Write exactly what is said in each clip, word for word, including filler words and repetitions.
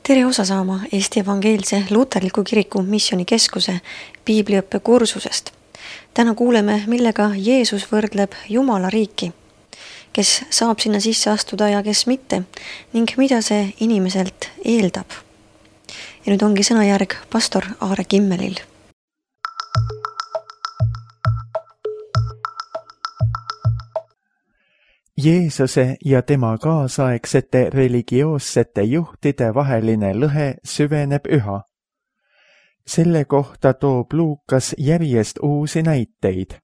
tere osa saama Eesti Evangeelse Luterliku Kiriku Missioonikeskuse piibliõppe kursusest. Täna kuuleme, millega Jeesus võrdleb Jumala riiki, kes saab sinna sisse astuda ja kes mitte, ning mida see inimeselt eeldab. Ja nüüd ongi sõnajärg pastor Aare Kimmelil. Jeesuse ja tema kaasaegsete religioossete juhtide vaheline lõhe süveneb üha. Selle kohta toob Luukas järjest uusi näiteid.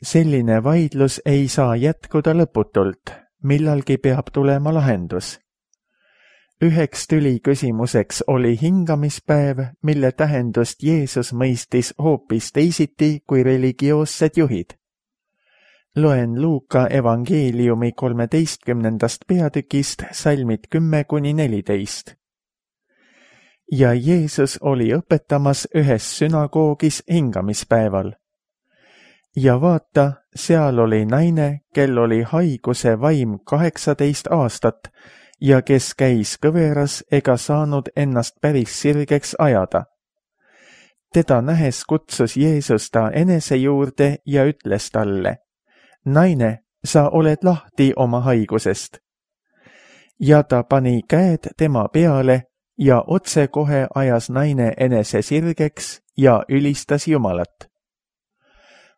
Selline vaidlus ei saa jätkuda lõputult, millalgi peab tulema lahendus. Üheks tüliküsimuseks oli hingamispäev, mille tähendust Jeesus mõistis hoopis teisiti kui religioossed juhid. Loen Luuka evangeeliumi kolmeteistkümnendast peatükist salmid kümme kuni neliteist. Ja Jeesus oli õpetamas ühes sünagoogis hingamispäeval. Ja vaata, seal oli naine, kel oli haiguse vaim kaheksateist aastat ja kes käis kõveras ega saanud ennast päris sirgeks ajada. Teda nähes kutsus Jeesus ta enese juurde ja ütles talle: Naine, sa oled lahti oma haigusest. Ja ta pani käed tema peale ja otsekohe ajas naine enese sirgeks ja ülistas Jumalat.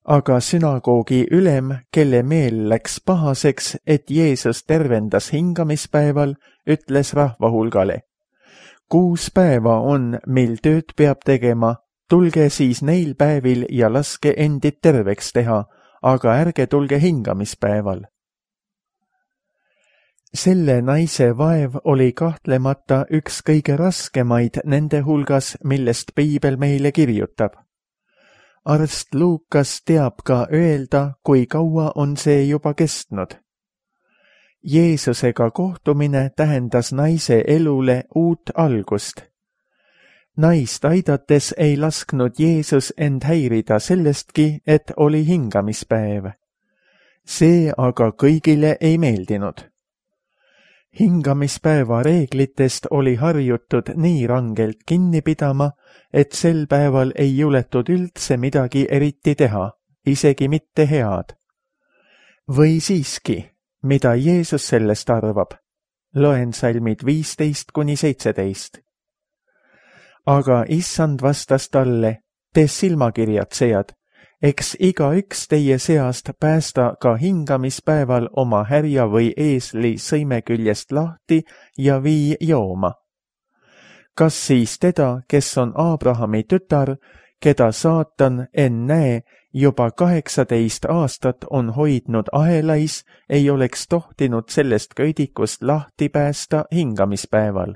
Aga sünagoogi ülem, kelle meel läks pahaseks, et Jeesus tervendas hingamispäeval, ütles rahvahulgale: Kuus päeva on, mil tööd peab tegema, tulge siis neil päevil ja laske endid terveks teha, aga ärge tulge hingamispäeval. Selle naise vaev oli kahtlemata üks kõige raskemaid nende hulgas, millest piibel meile kirjutab. Arst Luukas teab ka öelda, kui kaua on see juba kestnud. Jeesusega kohtumine tähendas naise elule uut algust. Naist aidates ei lasknud Jeesus end häirida sellestki, et oli hingamispäev. See aga kõigile ei meeldinud. Hingamispäeva reeglitest oli harjutud nii rangelt kinni pidama, et sel päeval ei juletud üldse midagi eriti teha, isegi mitte head. Või siiski, mida Jeesus sellest arvab? Loen salmid viisteist kuni seitseteist. Aga issand vastas talle: Te silmakirjatsejad, eks igaüks teie seast päästa ka hingamispäeval oma härja või eesli sõime küljest lahti ja vii jooma. Kas siis teda, kes on Abrahami tütar, keda saatan ennäe juba kaheksateist aastat on hoidnud ahelais, ei oleks tohtinud sellest köidikust lahti päästa hingamispäeval?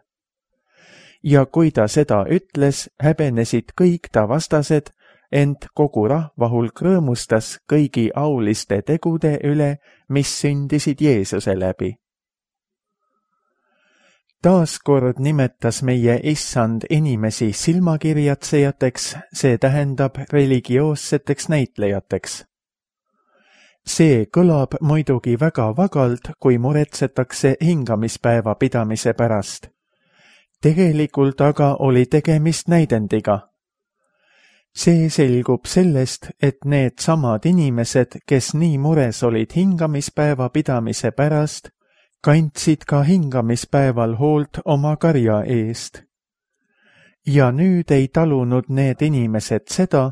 Ja kui ta seda ütles, häbenesid kõik ta vastased, ent kogu rahvahulk rõõmustas kõigi auliste tegude üle, mis sündisid Jeesuse läbi. Taaskord nimetas meie issand inimesi silmakirjatsejateks, see tähendab religioosseteks näitlejateks. See kõlab muidugi väga vagalt, kui muretsetakse hingamispäeva pidamise pärast. Tegelikult aga oli tegemist näidendiga. See selgub sellest, et need samad inimesed, kes nii mures olid hingamispäeva pidamise pärast, kandsid ka hingamispäeval hoolt oma karja eest. Ja nüüd ei talunud need inimesed seda,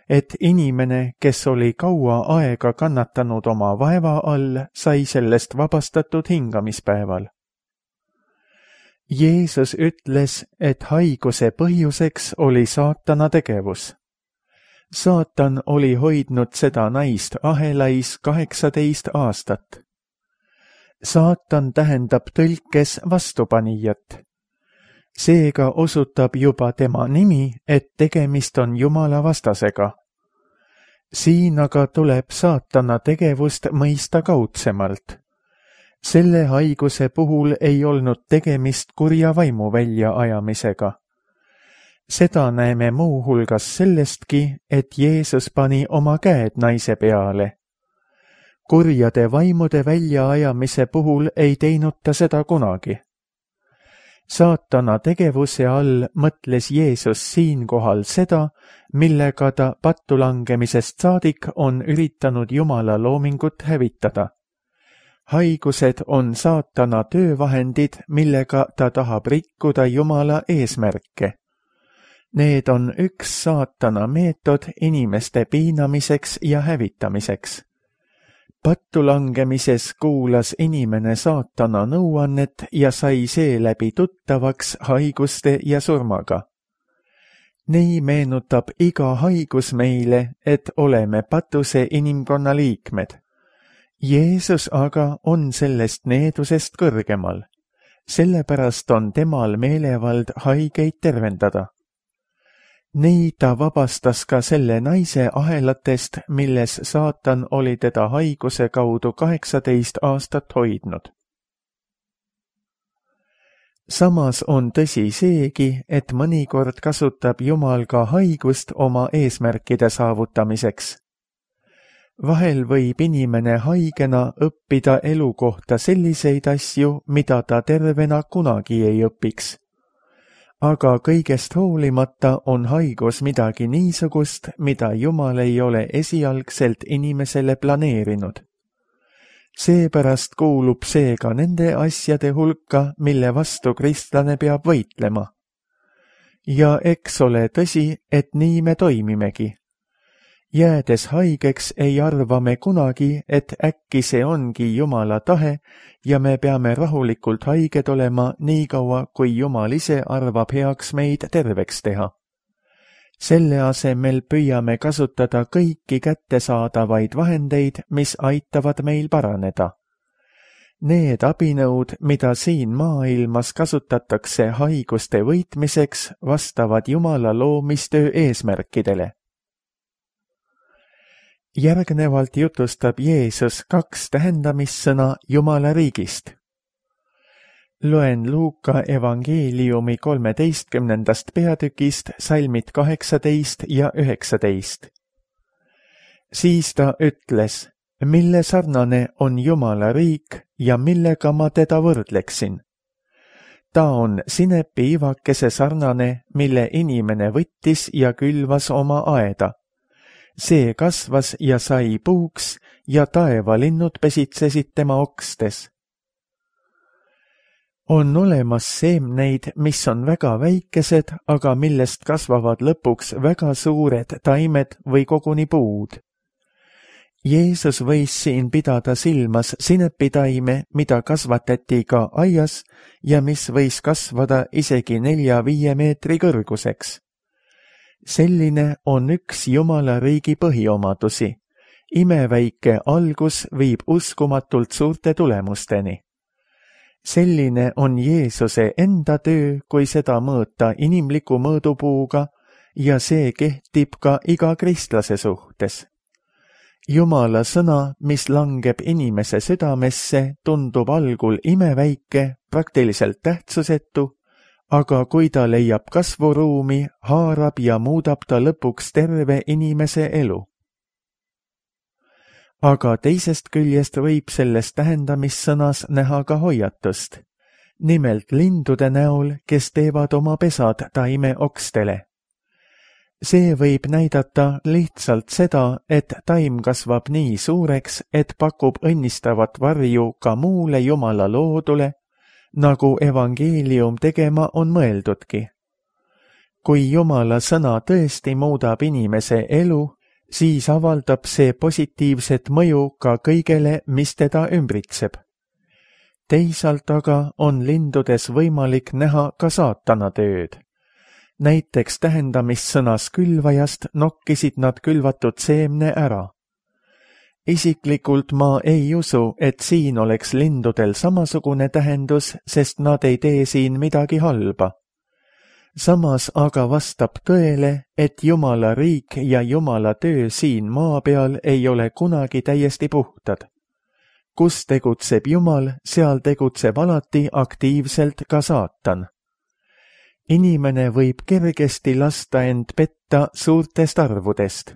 et inimene, kes oli kaua aega kannatanud oma vaeva all, sai sellest vabastatud hingamispäeval. Jeesus ütles, et haiguse põhjuseks oli saatana tegevus. Saatan oli hoidnud seda naist ahelais kaheksateist aastat. Saatan tähendab tõlkes vastupanijat. Seega osutab juba tema nimi, et tegemist on Jumala vastasega. Siin aga tuleb saatana tegevust mõista kaudsemalt. Selle haiguse puhul ei olnud tegemist kurja vaimu väljaajamisega. Seda näeme muu hulgas sellestki, et Jeesus pani oma käed naise peale. Kurjade vaimude väljaajamise puhul ei teinud ta seda kunagi. saatana tegevuse all mõtles Jeesus siinkohal seda, millega ta pattu langemisest saadik on üritanud Jumala loomingut hävitada. Haigused on saatana töövahendid, millega ta tahab rikkuda Jumala eesmärke. Need on üks saatana meetod inimeste piinamiseks ja hävitamiseks. Pattu langemises kuulas inimene saatana nõuannet ja sai seeläbi tuttavaks haiguste ja surmaga. Nii meenutab iga haigus meile, et oleme patuse inimkonna liikmed. Jeesus aga on sellest needusest kõrgemal. Sellepärast on temal meelevald haigeid tervendada. Nii ta vabastas ka selle naise ahelatest, milles saatan oli teda haiguse kaudu kaheksateist aastat hoidnud. Samas on tõsi seegi, et mõnikord kasutab Jumal ka haigust oma eesmärkide saavutamiseks. Vahel võib inimene haigena õppida elu kohta selliseid asju, mida ta tervena kunagi ei õpiks. Aga kõigest hoolimata on haigus midagi niisugust, mida Jumal ei ole esialgselt inimesele planeerinud. Seepärast kuulub see ka nende asjade hulka, mille vastu kristlane peab võitlema. Ja eks ole tõsi, et nii me toimimegi. Jäädes haigeks ei arva me kunagi, et äkki see ongi Jumala tahe ja me peame rahulikult haiged olema nii kaua, kui Jumal ise arvab heaks meid terveks teha. Selle asemel püüame kasutada kõiki kättesaadavaid vahendeid, mis aitavad meil paraneda. Need abinõud, mida siin maailmas kasutatakse haiguste võitmiseks, vastavad Jumala loomistöö eesmärkidele. Järgnevalt jutustab Jeesus kaks tähendamissõna Jumala riigist. Loen Luuka evangeeliumi kolmeteistkümnendast peatükist salmid kaheksateist ja üheksateist. Siis ta ütles, mille sarnane on Jumala riik ja millega ma teda võrdleksin. Ta on sinepi ivakese sarnane, mille inimene võttis ja külvas oma aeda. See kasvas ja sai puuks ja taevalinnud pesitsesid tema okstes. On olemas seemneid, mis on väga väikesed, aga millest kasvavad lõpuks väga suured taimed või koguni puud. Jeesus võis siin pidada silmas sinepitaime, mida kasvatati ka aias ja mis võis kasvada isegi nelja-viie meetri kõrguseks. Selline on üks Jumala riigi põhiomadusi. Imeväike algus viib uskumatult suurte tulemusteni. Selline on Jeesuse enda töö, kui seda mõõta inimliku mõõdupuuga ja see kehtib ka iga kristlase suhtes. Jumala sõna, mis langeb inimese südamesse, tundub algul imeväike, praktiliselt tähtsusetu, aga kui ta leiab kasvuruumi, haarab ja muudab ta lõpuks terve inimese elu. Aga teisest küljest võib selles tähendamissõnas näha ka hoiatust, nimelt lindude näol, kes teevad oma pesad taime okstele. See võib näidata lihtsalt seda, et taim kasvab nii suureks, et pakub õnnistavat varju ka muule Jumala loodule, nagu evangeelium tegema on mõeldudki. Kui Jumala sõna tõesti muudab inimese elu, siis avaldab see positiivset mõju ka kõigele, mis teda ümbritseb. Teisalt aga on lindudes võimalik näha ka saatana tööd. Näiteks tähendamissõnas külvajast nokkisid nad külvatud seemne ära. Isiklikult ma ei usu, et siin oleks lindudel samasugune tähendus, sest nad ei tee siin midagi halba. Samas aga vastab tõele, et Jumala riik ja Jumala töö siin maa peal ei ole kunagi täiesti puhtad. Kus tegutseb Jumal, seal tegutseb alati aktiivselt ka saatan. Inimene võib kergesti lasta end petta suurtest arvudest.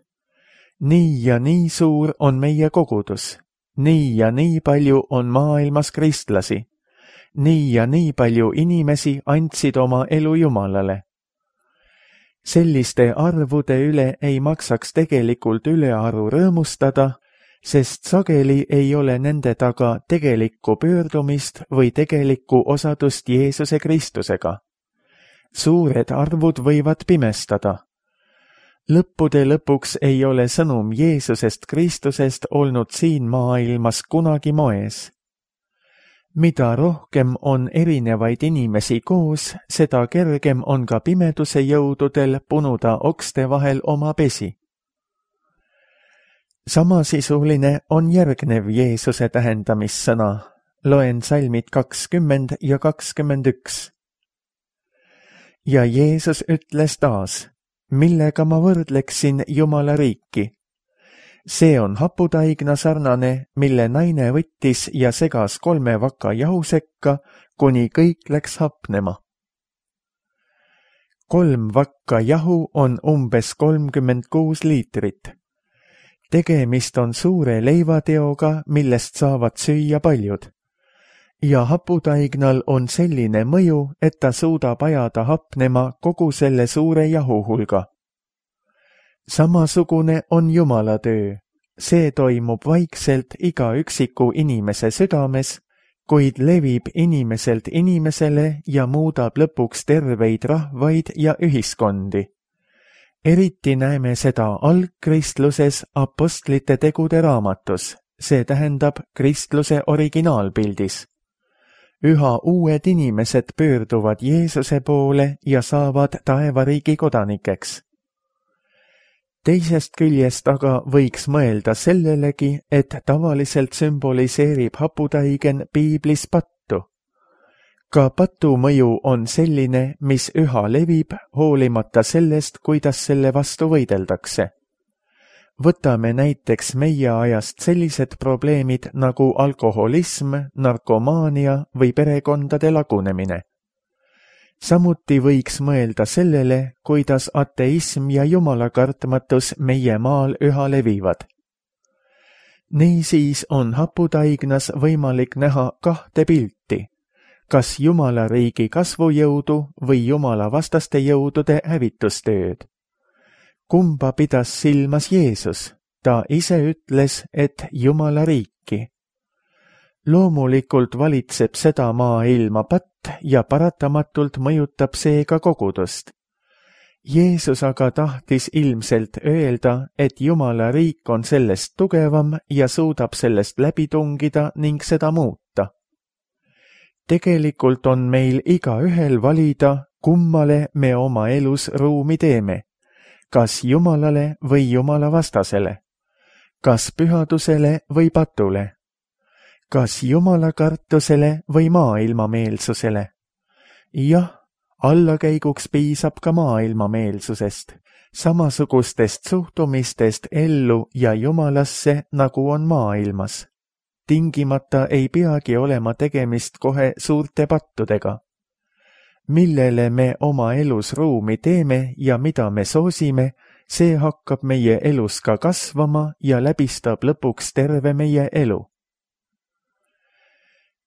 Nii ja nii suur on meie kogudus. Nii ja nii palju on maailmas kristlasi. nii ja nii palju inimesi andsid oma elu Jumalale. Selliste arvude üle ei maksaks tegelikult ülearu rõõmustada, sest sageli ei ole nende taga tegelikku pöördumist või tegelikku osadust Jeesuse Kristusega. Suured arvud võivad pimestada. Lõppude lõpuks ei ole sõnum Jeesusest Kristusest olnud siin maailmas kunagi moes. Mida rohkem on erinevaid inimesi koos, seda kergem on ka pimeduse jõududel punuda okste vahel oma pesi. Samasisuline on järgnev Jeesuse tähendamissõna. Loen salmid kakskümmend ja kakskümmend üks. Ja Jeesus ütles taas, millega ma võrdleksin Jumala riiki. See on haputaigna sarnane, mille naine võttis ja segas kolme vaka jahu sekka, kuni kõik läks hapnema. Kolm vakka jahu on umbes kolmkümmend kuus liitrit. Tegemist on suure leivateoga, millest saavad süüa paljud. Ja haputaignal on selline mõju, et ta suudab ajada hapnema kogu selle suure jahu hulga. Samasugune on Jumala töö. See toimub vaikselt iga üksiku inimese südames, kuid levib inimeselt inimesele ja muudab lõpuks terveid rahvaid ja ühiskondi. Eriti näeme seda algkristluses apostlite tegude raamatus, see tähendab kristluse originaalpildis. Üha uued inimesed pöörduvad Jeesuse poole ja saavad taevariigi kodanikeks. Teisest küljest aga võiks mõelda sellelegi, et tavaliselt sümboliseerib haputaigen piiblis pattu. Ka patu mõju on selline, mis üha levib, hoolimata sellest, kuidas selle vastu võideldakse. Võtame näiteks meie ajast sellised probleemid nagu alkoholism, narkomaania või perekondade lagunemine. Samuti võiks mõelda sellele, kuidas ateism ja jumalakartmatus meie maal üha levivad. Niisiis on haputaignas võimalik näha kahte pilti, kas Jumala riigi kasvujõudu või Jumala vastaste jõudude hävitustööd. Kumba pidas silmas Jeesus? Ta ise ütles, et Jumala riiki. Loomulikult valitseb seda maailma patt ja paratamatult mõjutab see ka kogudust. Jeesus aga tahtis ilmselt öelda, et Jumala riik on sellest tugevam ja suudab sellest läbi tungida ning seda muuta. Tegelikult on meil igaühel valida, kummale me oma elus ruumi teeme, kas Jumalale või Jumala vastasele, kas pühadusele või patule, kas jumalakartusele või maailmameelsusele. Jah, allakäiguks piisab ka maailmameelsusest, samasugustest suhtumistest ellu ja Jumalasse, nagu on maailmas. Tingimata ei peagi olema tegemist kohe suurte pattudega. Millele me oma elus ruumi teeme ja mida me soosime, see hakkab meie elus ka kasvama ja läbistab lõpuks terve meie elu.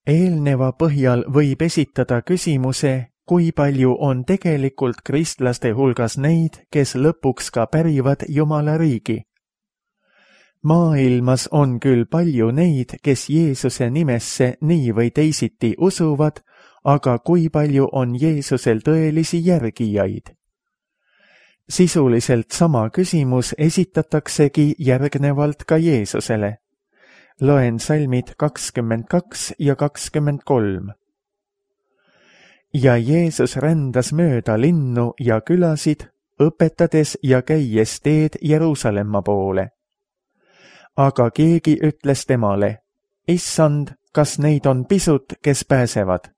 Eelneva põhjal võib esitada küsimuse, kui palju on tegelikult kristlaste hulgas neid, kes lõpuks ka pärivad Jumala riigi. Maailmas on küll palju neid, kes Jeesuse nimesse nii või teisiti usuvad, aga kui palju on Jeesusel tõelisi järgijaid? Sisuliselt sama küsimus esitataksegi järgnevalt ka Jeesusele. Loen salmid kakskümmend kaks ja kakskümmend kolm. Ja Jeesus rändas mööda linnu ja külasid, õpetades ja käies teed Jeruusalemma poole. Aga keegi ütles temale, Issand, kas neid on pisut, kes pääsevad?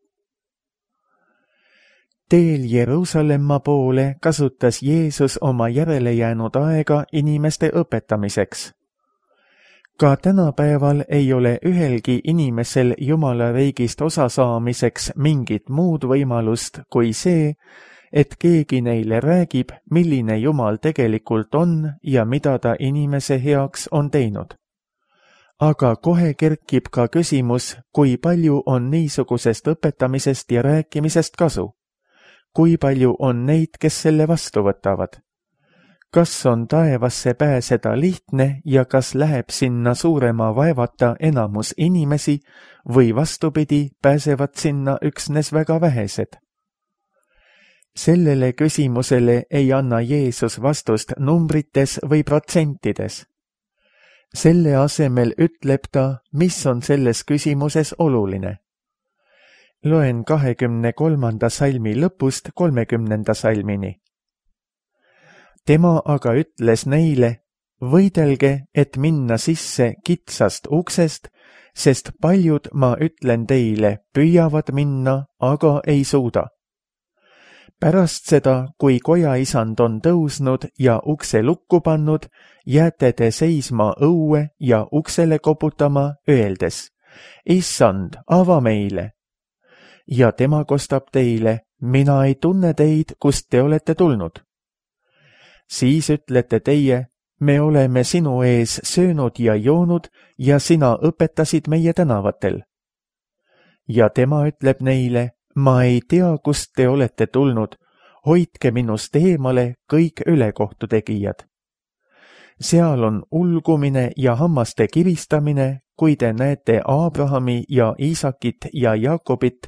Teel Jeruusalemma poole kasutas Jeesus oma järele jäänud aega inimeste õpetamiseks. Ka tänapäeval ei ole ühelgi inimesel Jumala riigist osa saamiseks mingit muud võimalust kui see, et keegi neile räägib, milline Jumal tegelikult on ja mida ta inimese heaks on teinud. aga kohe kerkib ka küsimus, kui palju on niisugusest õpetamisest ja rääkimisest kasu. Kui palju on neid, kes selle vastu võtavad? Kas on taevasse pääseda lihtne ja kas läheb sinna suurema vaevata enamus inimesi või vastupidi, pääsevad sinna üksnes väga vähesed? Sellele küsimusele ei anna Jeesus vastust numbrites või protsentides. Selle asemel ütleb ta, mis on selles küsimuses oluline. Loen kahekümne kolmanda salmi lõpust kolmekümnenda salmini. Tema aga ütles neile, võidelge, et minna sisse kitsast uksest, sest paljud, ma ütlen teile, püüavad minna, aga ei suuda. Pärast seda, kui kojaisand on tõusnud ja ukse lukku pannud, jääte te seisma õue ja uksele koputama, öeldes, Issand, ava meile. Ja tema kostab teile, mina ei tunne teid, kust te olete tulnud. Siis ütlete teie, me oleme sinu ees söönud ja joonud ja sina õpetasid meie tänavatel. Ja tema ütleb neile, ma ei tea, kust te olete tulnud, hoidke minust eemale kõik ülekohtu tegijad. Seal on ulgumine ja hammaste kiristamine, kui te näete Abrahami ja Iisakit ja Jaakobit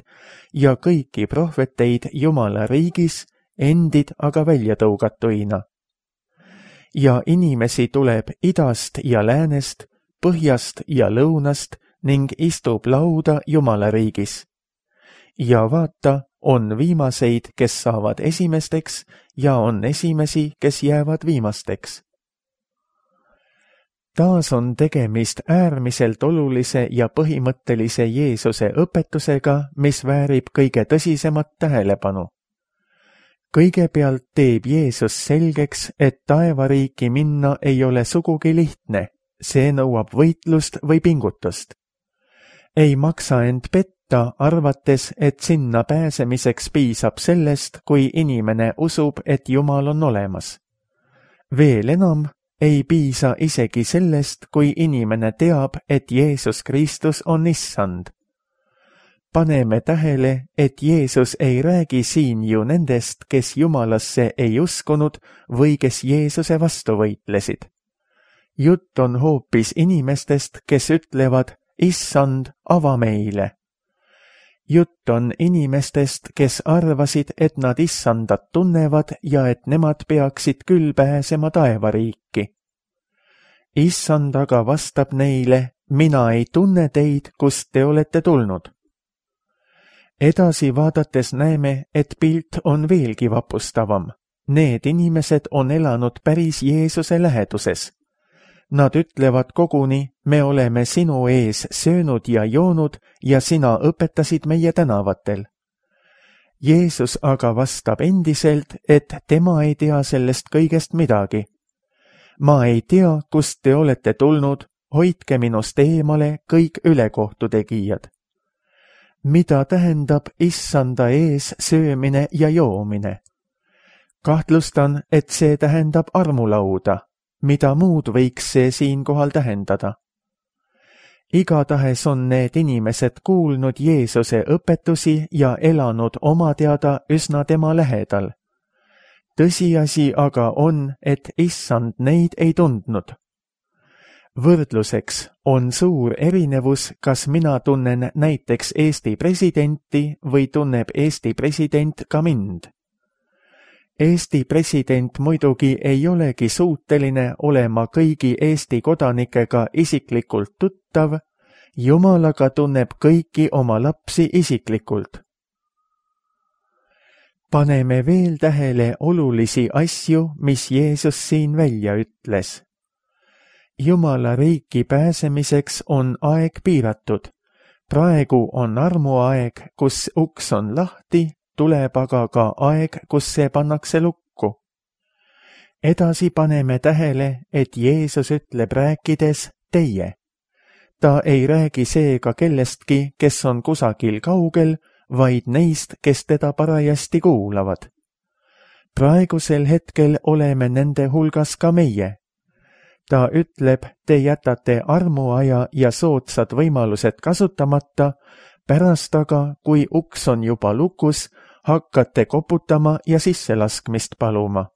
ja kõiki prohveteid Jumala riigis, endid aga välja tõugatuina. Ja inimesi tuleb idast ja läänest, põhjast ja lõunast ning istub lauda Jumala riigis. Ja vaata, on viimaseid, kes saavad esimesteks ja on esimesi, kes jäävad viimasteks. Taas on tegemist äärmiselt olulise ja põhimõttelise Jeesuse õpetusega, mis väärib kõige tõsisemat tähelepanu. Kõigepealt teeb Jeesus selgeks, et taevariiki minna ei ole sugugi lihtne, see nõuab võitlust või pingutust. Ei maksa end petta, arvates, et sinna pääsemiseks piisab sellest, kui inimene usub, et Jumal on olemas. Veel enam, ei piisa isegi sellest, kui inimene teab, et Jeesus Kristus on issand. Paneme tähele, et Jeesus ei räägi siin ju nendest, kes Jumalasse ei uskunud või kes Jeesuse vastu võitlesid. Jutt on hoopis inimestest, kes ütlevad, issand, ava meile. Jutt on inimestest, kes arvasid, et nad issandat tunnevad ja et nemad peaksid küll pääsema taevariiki. Issand aga vastab neile, mina ei tunne teid, kust te olete tulnud. Edasi vaadates näeme, et pilt on veelgi vapustavam. Need inimesed on elanud päris Jeesuse läheduses. Nad ütlevad koguni, me oleme sinu ees söönud ja joonud ja sina õpetasid meie tänavatel. Jeesus aga vastab endiselt, et tema ei tea sellest kõigest midagi. Ma ei tea, kust te olete tulnud, hoidke minust eemale kõik ülekohtu tegijad. Mida tähendab issanda ees söömine ja joomine? Kahtlustan, et see tähendab armulauda. Mida muud võiks see siinkohal tähendada? Igatahes on need inimesed kuulnud Jeesuse õpetusi ja elanud oma teada üsna tema lähedal. Tõsiasi aga on, et issand neid ei tundnud. Võrdluseks on suur erinevus, kas mina tunnen näiteks Eesti presidenti või tunneb Eesti president ka mind. Eesti president muidugi ei olegi suuteline olema kõigi Eesti kodanikega isiklikult tuttav, Jumal aga tunneb kõiki oma lapsi isiklikult. Paneme veel tähele olulisi asju, mis Jeesus siin välja ütles. Jumala riiki pääsemiseks on aeg piiratud. Praegu on armuaeg, kus uks on lahti, tuleb aga ka aeg, kus see pannakse lukku. Edasi paneme tähele, et Jeesus ütleb rääkides teie. Ta ei räägi seega kellestki, kes on kusagil kaugel, vaid neist, kes teda parajasti kuulavad. Praegusel hetkel oleme nende hulgas ka meie. ta ütleb, te jätate armuaja ja soodsad võimalused kasutamata, pärast aga, kui uks on juba lukus, hakkate koputama ja sisselaskmist paluma.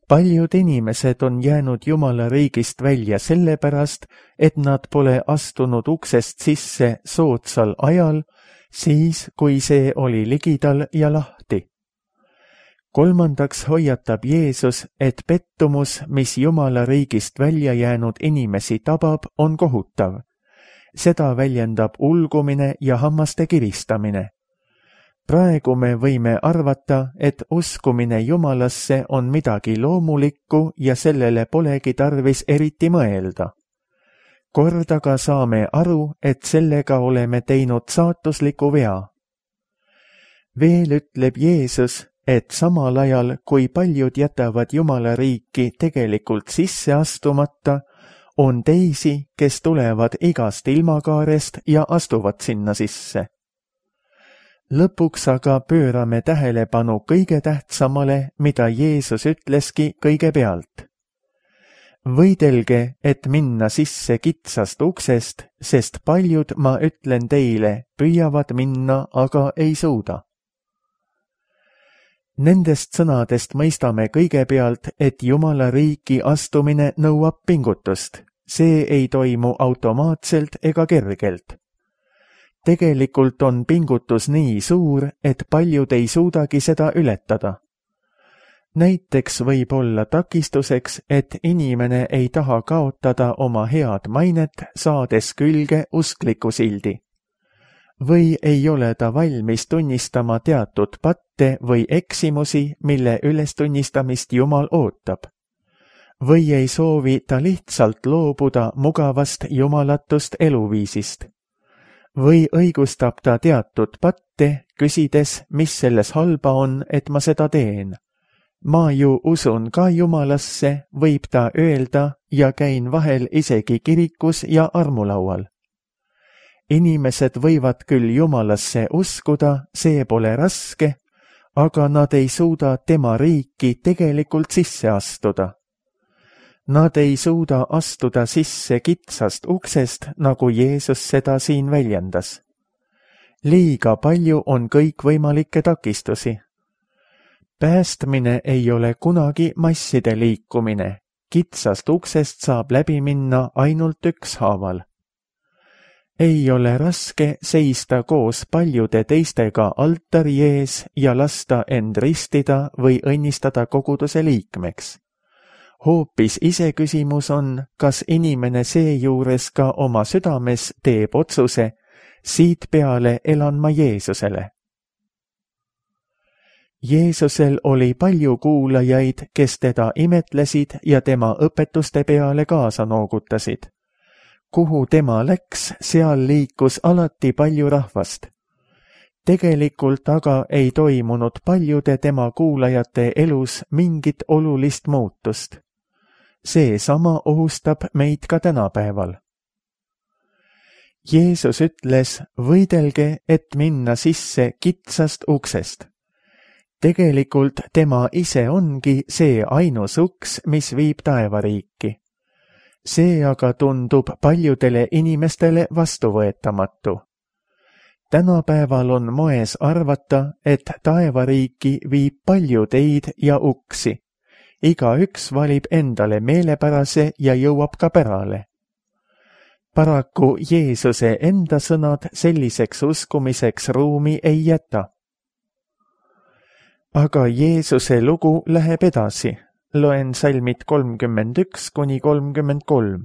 Paljud inimesed on jäänud Jumala riigist välja sellepärast, et nad pole astunud uksest sisse soodsal ajal, siis kui see oli ligidal ja lahti. Kolmandaks hoiatab Jeesus, et pettumus, mis Jumala riigist välja jäänud inimesi tabab, on kohutav. Seda väljendab ulgumine ja hammaste kiristamine. Praegu me võime arvata, et uskumine Jumalasse on midagi loomulikku ja sellele polegi tarvis eriti mõelda. Kord aga saame aru, et sellega oleme teinud saatusliku vea. Veel ütleb Jeesus, et samal ajal, kui paljud jätavad Jumala riiki tegelikult sisse astumata, on teisi, kes tulevad igast ilmakaarest ja astuvad sinna sisse. Lõpuks aga pöörame tähelepanu kõige tähtsamale, mida Jeesus ütleski kõigepealt. Võidelge, et minna sisse kitsast uksest, sest paljud, ma ütlen teile, püüavad minna, aga ei suuda. Nendest sõnadest mõistame kõigepealt, et Jumala riiki astumine nõuab pingutust. See ei toimu automaatselt ega kergelt. Tegelikult on pingutus nii suur, et paljud ei suudagi seda ületada. Näiteks võib olla takistuseks, et inimene ei taha kaotada oma head mainet, saades külge uskliku sildi. Või ei ole ta valmis tunnistama teatud patte või eksimusi, mille ülestunnistamist Jumal ootab. Või ei soovi ta lihtsalt loobuda mugavast jumalatust eluviisist. Või õigustab ta teatud patte, küsides, mis selles halba on, et ma seda teen. Ma ju usun ka Jumalasse, võib ta öelda, ja käin vahel isegi kirikus ja armulaual. Inimesed võivad küll Jumalasse uskuda, see pole raske, aga nad ei suuda tema riiki tegelikult sisse astuda. Nad ei suuda astuda sisse kitsast uksest, nagu Jeesus seda siin väljendas. Liiga palju on kõikvõimalikke takistusi. Päästmine ei ole kunagi masside liikumine. Kitsast uksest saab läbi minna ainult ükshaaval. Ei ole raske seista koos paljude teistega altari ees ja lasta end ristida või õnnistada koguduse liikmeks. Hoopis iseküsimus on, kas inimene seejuures ka oma südames teeb otsuse, siit peale elan ma Jeesusele. Jeesusel oli palju kuulajaid, kes teda imetlesid ja tema õpetuste peale kaasa noogutasid. Kuhu tema läks, seal liikus alati palju rahvast. Tegelikult aga ei toimunud paljude tema kuulajate elus mingit olulist muutust. Seesama ohustab meid ka tänapäeval. Jeesus ütles, võidelge, et minna sisse kitsast uksest. Tegelikult tema ise ongi see ainus uks, mis viib taevariiki. See aga tundub paljudele inimestele vastuvõetamatu. Tänapäeval on moes arvata, et taevariiki viib palju teid ja uksi. Igaüks valib endale meelepärase ja jõuab ka pärale. Paraku Jeesuse enda sõnad selliseks uskumiseks ruumi ei jäta. Aga Jeesuse lugu läheb edasi. Loen salmid kolmkümmend üks kuni kolmkümmend kolm.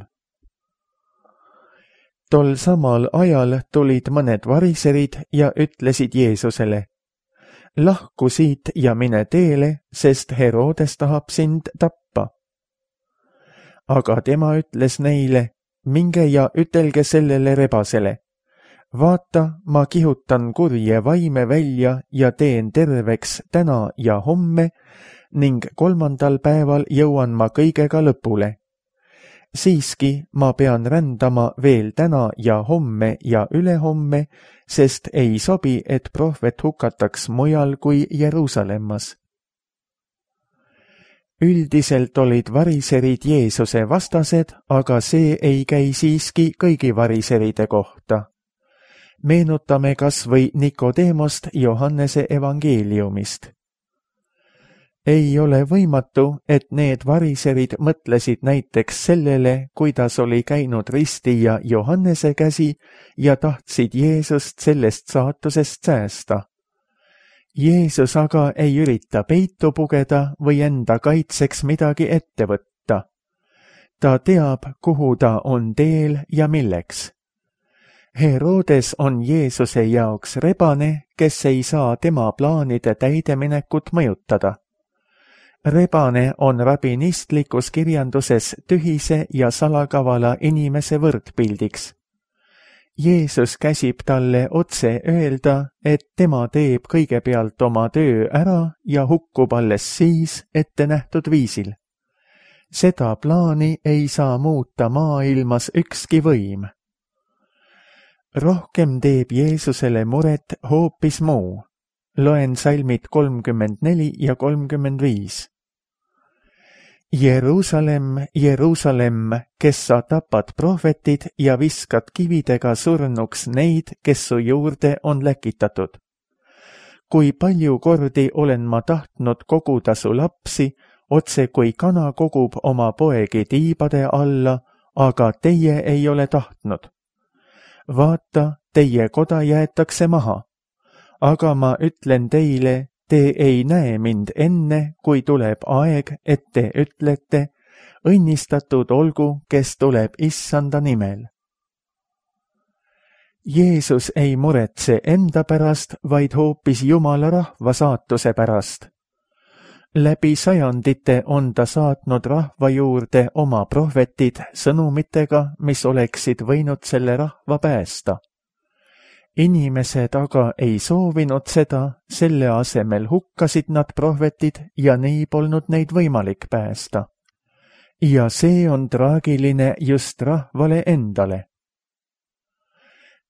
Tol samal ajal tulid mõned variserid ja ütlesid Jeesusele, lahku siit ja mine teele, sest Herodes tahab sind tappa. Aga tema ütles neile, minge ja ütelge sellele rebasele. Vaata, ma kihutan kurje vaime välja ja teen terveks täna ja homme ning kolmandal päeval jõuan ma kõigega lõpule. Siiski ma pean rändama veel täna ja homme ja ülehomme, sest ei sobi, et prohvet hukataks mujal kui Jeruusalemmas. üldiselt olid variserid Jeesuse vastased, aga see ei käi siiski kõigi variseride kohta. Meenutame kas või Nikodeemost Johannese evangeeliumist. Ei ole võimatu, et need variserid mõtlesid näiteks sellele, kuidas oli käinud ristija Johannese käsi ja tahtsid Jeesust sellest saatusest säästa. Jeesus aga ei ürita peitu pugeda või enda kaitseks midagi ette võtta. Ta teab, kuhu ta on teel ja milleks. Herodes on Jeesuse jaoks rebane, kes ei saa tema plaanide täideminekut mõjutada. Rebane on rabinistlikus kirjanduses tühise ja salakavala inimese võrdpildiks. Jeesus käsib talle otse öelda, et tema teeb kõigepealt oma töö ära ja hukkub alles siis ette nähtud viisil. Seda plaani ei saa muuta maailmas ükski võim. Rohkem teeb Jeesusele muret hoopis muu. Loen salmid kolmkümmend neli ja kolmkümmend viis. Jeruusalemm, Jeruusalemm, kes sa tapad prohvetid ja viskad kividega surnuks neid, kes su juurde on läkitatud. Kui palju kordi olen ma tahtnud koguda su lapsi, otse kui kana kogub oma poegi tiibade alla, aga teie ei ole tahtnud. Vaata, teie koda jäetakse maha. Aga ma ütlen teile, te ei näe mind enne, kui tuleb aeg, et te ütlete, õnnistatud olgu, kes tuleb issanda nimel. Jeesus ei muretse enda pärast, vaid hoopis Jumala rahva saatuse pärast. Läbi sajandite on ta saatnud rahva juurde oma prohvetid sõnumitega, mis oleksid võinud selle rahva päästa. Inimesed aga ei soovinud seda, selle asemel hukkasid nad prohvetid ja nii polnud neid võimalik päästa. Ja see on traagiline just rahvale endale.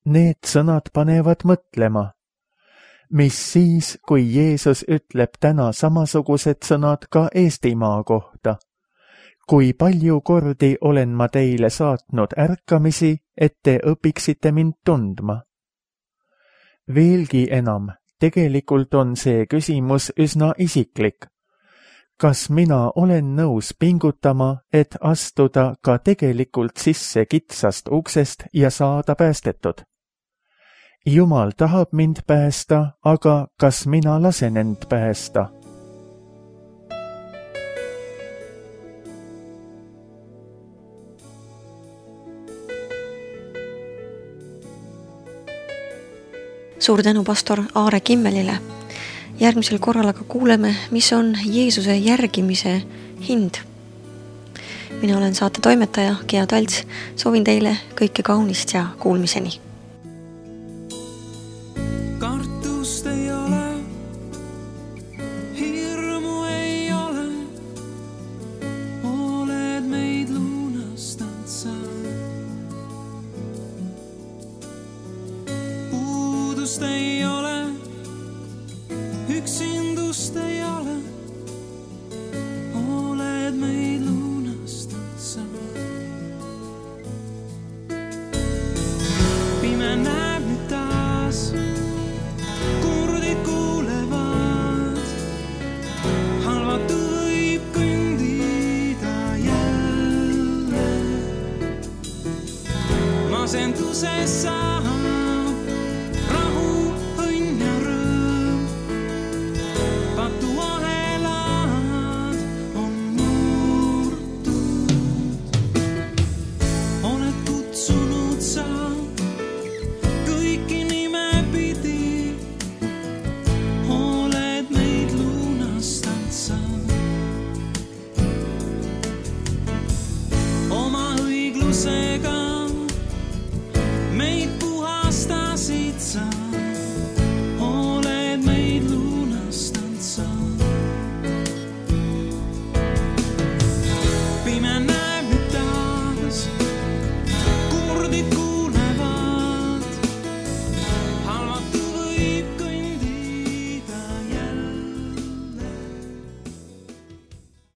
Need sõnad panevad mõtlema. Mis siis, kui Jeesus ütleb täna samasugused sõnad ka Eestimaa kohta? Kui palju kordi olen ma teile saatnud ärkamisi, et te õpiksite mind tundma? Veelgi enam, tegelikult on see küsimus üsna isiklik. Kas mina olen nõus pingutama, et astuda ka tegelikult sisse kitsast uksest ja saada päästetud? Jumal tahab mind päästa, aga kas mina lasen end päästa? Suur tänu pastor Aare Kimmelile. Järgmisel korral aga kuuleme, mis on Jeesuse järgimise hind. Mina olen saate toimetaja Gea Talts. Soovin teile kõike kaunist ja kuulmiseni. Kartust ei ole, hirmu ei ole, oled meid lunastanud sa. Puudust ei ole, üksindust ei ole, oled meid lunastanud sa. Pime näeb nüüd taas, kurdid kuulevad, halvatu võib kõndida jälle. Masenduses saab rahu, õnn ja rõõm, patu ahelad on murtud. Oled kutsunud sa kõiki nimepidi, oled meid lunastanud sa. Oma õiglusega